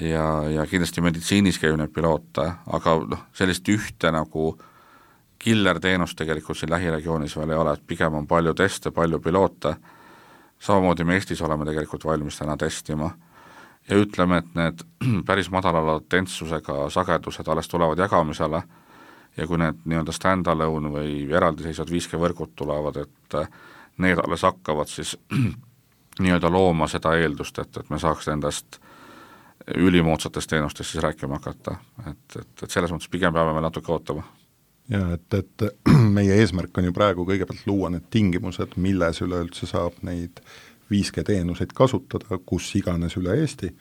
Ja, ja kindlasti meditsiinis käib neid piloote, aga noh, sellist ühte nagu killer-teenust tegelikult siin lähiregioonis veel ei ole, et pigem on palju teste, palju piloote, samamoodi me Eestis oleme tegelikult valmis täna testima ja ütleme, et need päris madala latentsusega sagedused alles tulevad jagamisele ja kui need nii-öelda stand-alone või eraldiseisvad viis G võrgud tulevad, et need alles hakkavad siis nii-öelda looma seda eeldust, et, et me saaks nendest ülimoodsatest teenustest siis rääkima hakata, et, et, et selles mõttes pigem peame meil natuke ootama. Ja et, et meie eesmärk on ju praegu kõigepealt luua need tingimused, milles üleüldse saab neid viis G teenuseid kasutada, kus iganes üle Eesti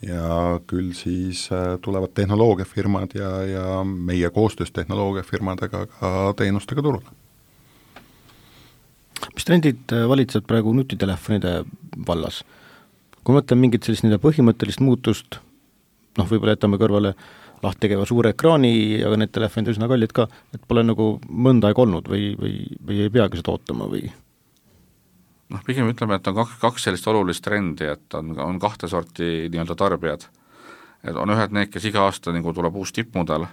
ja küll siis tulevad tehnoloogiafirmad ja, ja meie koostöös tehnoloogiafirmadega ka teenustega turule. Mis trendid valitsevad praegu nutitelefonide vallas? Kui mõtleme mingit sellist nende põhimõttelist muutust, noh võib-olla jätame kõrvale lahti tegeva suure ekraani, aga need telefonid üsna kallid ka, et pole nagu mõnda aeg olnud või, või, või ei peagi seda ootama või? noh, pigem ütleme, et on kaks, kaks sellist olulist trendi, et on, on kahte sorti nii-öelda tarbijad. Et on ühed need, kes iga aasta nagu tuleb uus tippmudel,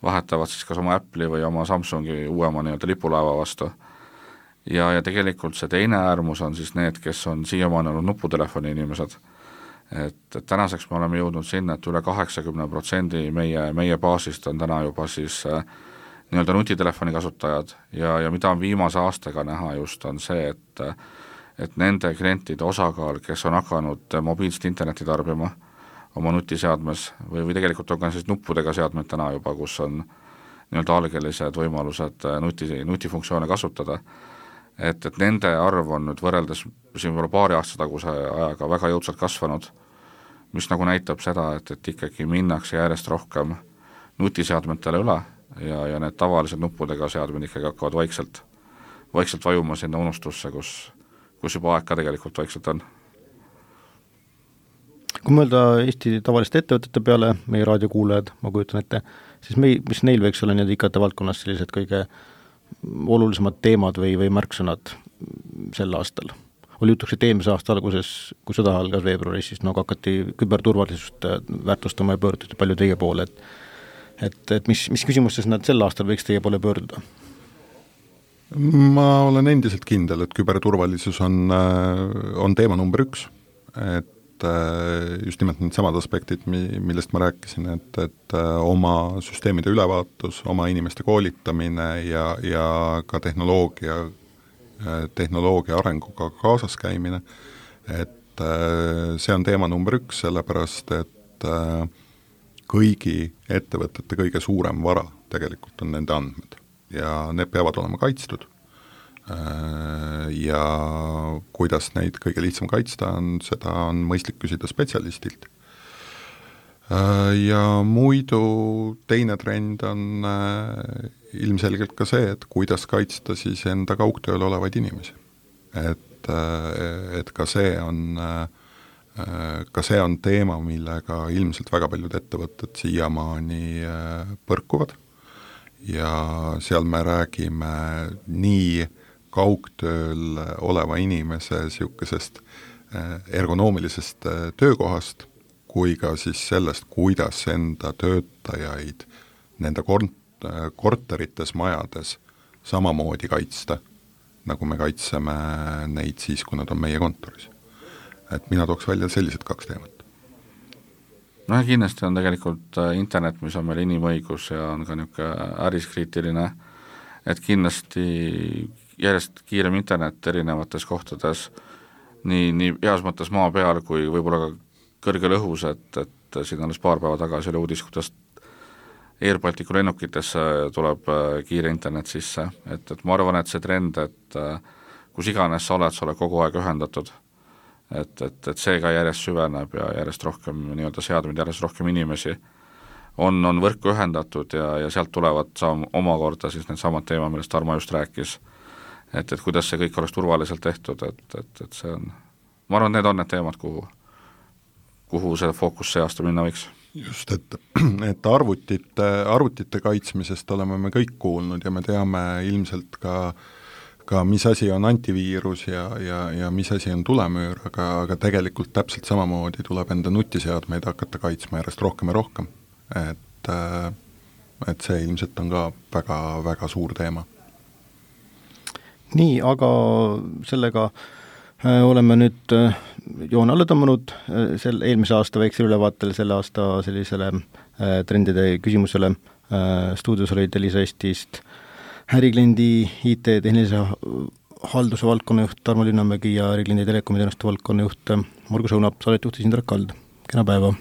vahetavad siis kas oma Apple'i või oma Samsungi uuema nii-öelda lipulaeva vastu. Ja, ja tegelikult see teine äärmus on siis need, kes on siiamaani olnud nuputelefoni inimesed. Et, et tänaseks me oleme jõudnud sinna, et üle kaheksakümmend protsenti meie, meie baasist on täna juba siis äh, nii-öelda nutitelefoni kasutajad ja, ja mida on viimase aastaga näha just on see, et et nende klientide osakaal, kes on hakanud mobiilset interneti tarbima oma nutiseadmes või, või tegelikult on ka siis nuppudega seadmed täna juba, kus on nii-öelda algelised võimalused nuti, nutifunktsioone kasutada, et, et nende arv on nüüd võrreldes siin võib-olla paari aasta taguse ajaga väga jõudsalt kasvanud, mis nagu näitab seda, et, et ikkagi minnakse järjest rohkem nutiseadmetele üle ja, ja need tavalised nuppudega seadmed ikkagi hakkavad vaikselt, vaikselt vajuma sinna unustusse, kus kus juba aeg ka tegelikult vaikselt on. Kui mõelda Eesti tavaliste ettevõtete peale, meie raadiokuulajad, ma kujutan ette, siis me, mis neil võiks olla need I K T valdkonnas sellised kõige olulisemad teemad või, või märksõnad sel aastal? Oli jutuks, et eelmise aasta alguses, kui sõda algas veebruaris, siis nagu hakati küberturvalisust väärtustama ja pöörduti palju teie poole, et, et, et mis, mis küsimustes nad sel aastal võiks teie poole pöörduda? Ma olen endiselt kindel, et küberturvalisus on, on teema number üks, et just nimelt need samad aspektid, millest ma rääkisin, et, et oma süsteemide ülevaatus, oma inimeste koolitamine ja, ja ka tehnoloogia, tehnoloogia arenguga kaasas käimine, et see on teema number üks, sellepärast et kõigi ettevõtete kõige suurem vara tegelikult on nende andmed. ja need peavad olema kaitstud. Ja kuidas neid kõige lihtsam kaitsta on, seda on mõistlik küsida spetsialistilt. Ja muidu teine trend on ilmselgelt ka see, et kuidas kaitsta siis enda kaugtööl olevaid inimesi. Et, et ka see on ka see on teema, millega ilmselt väga paljud ettevõtted siiamaani põrkuvad ja seal me räägime nii kaugtööl oleva inimese siukesest ergonoomilisest töökohast kui ka siis sellest, kuidas enda töötajaid nende kort- korterites, majades samamoodi kaitsta, nagu me kaitseme neid siis, kui nad on meie kontoris. Et mina tooks välja sellised kaks teemat. No ja kindlasti on tegelikult internet, mis on meil inimõigus ja on ka niisugune äriskriitiline, et kindlasti järjest kiirem internet erinevates kohtades, nii, nii heas mõttes maa peal kui võib-olla ka kõrgel õhus, et, et siin alles paar päeva tagasi oli uudis, kuidas Air Balticu lennukitesse tuleb kiire internet sisse, et, et ma arvan, et see trend, et kus iganes sa oled, sa oled kogu aeg ühendatud, et, et, et see ka järjest süveneb ja järjest rohkem nii-öelda seadmed, järjest rohkem inimesi on, on võrku ühendatud ja, ja sealt tulevad saam, omakorda siis need samad teema, millest Tarmo just rääkis, et, et kuidas see kõik oleks turvaliselt tehtud, et, et, et see on, ma arvan, need on need teemad, kuhu, kuhu see fookus see aasta minna võiks. Just, et, et arvutite, arvutite kaitsmisest oleme me kõik kuulnud ja me teame ilmselt ka, ka mis asi on antiviirus ja, ja, ja mis asi on tulemüür, aga, aga tegelikult täpselt samamoodi tuleb enda nutiseadmeid hakata kaitsma järjest rohkem ja rohkem. Et, et see ilmselt on ka väga, väga suur teema. Nii, aga sellega oleme nüüd joone alla tõmmanud sel eelmise aasta väiksel ülevaatel selle aasta sellisele trendide küsimusele. Stuudios olid Elisa Eestist ärikliendi I T tehnilise halduse valdkonna juht Tarmo Linnamägi ja ärikliendi telekomiteenuste valdkonna juht Margus Õunap, saadet juhtis Indrek Kald. Kena päeva!